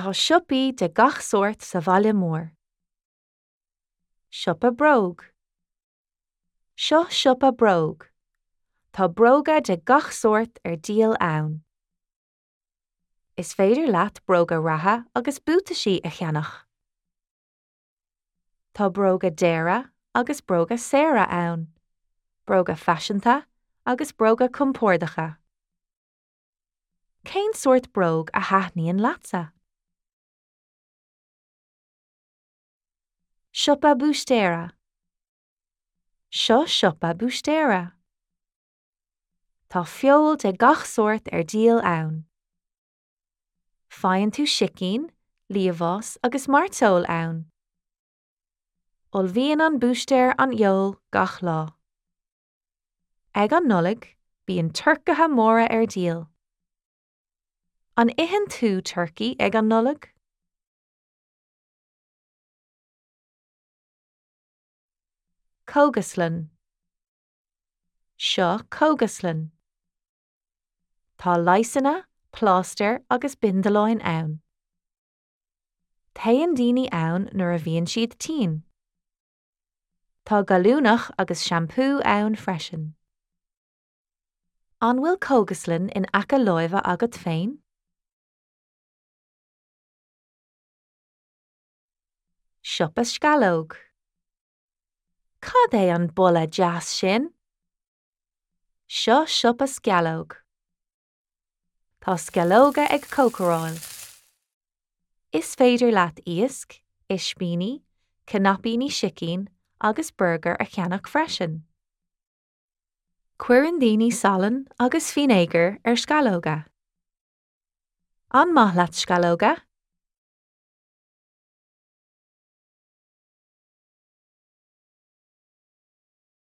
Tá siopaí de gach sórt sa bhaile mór. Siopa bróg. Seo siopa bróg. Tá bróga de gach sórt ar díol ann. Is féidir leat bróga reatha agus buataisí a cheannach. Tá bróga daora agus bróga saora ann, bróga faiseanta agus bróga compordacha. Cén sórt bróg a thaitníonn leatsa? Siopa búistéara. Seo siopa búistéara. Tá feoil de gach sórt ar díol ann. Faigheann tú sicín, liamhás agus mairteoil ann. Ullmhaíonn an búistéir an fheoil gach lá. Ag an Nollaig, bíonn turcaithe móra ar díol. An itheann tú turcaí ag an Nollaig? Cógaslann. Seo cógaslann. Tá leigheasanna, plástair agus bindealáin ann. Téann daoine ann nuair a bhíonn siad tinn. Tá gallúnach agus seampú ann freisin. An bhfuil cógaslann in aice láimhe agat féin? Siopa sceallóg. Cad é an boladh deas sin? Seo siopa sceallóg. Tá sceallóga ag cócaráil. Is féidir leat iasc, ispíní, cnaipíní sicín agus burgair a cheannach freisin. Cuireann daoine salann agus fínéagar ar sceallóga. An maith leat sceallóga?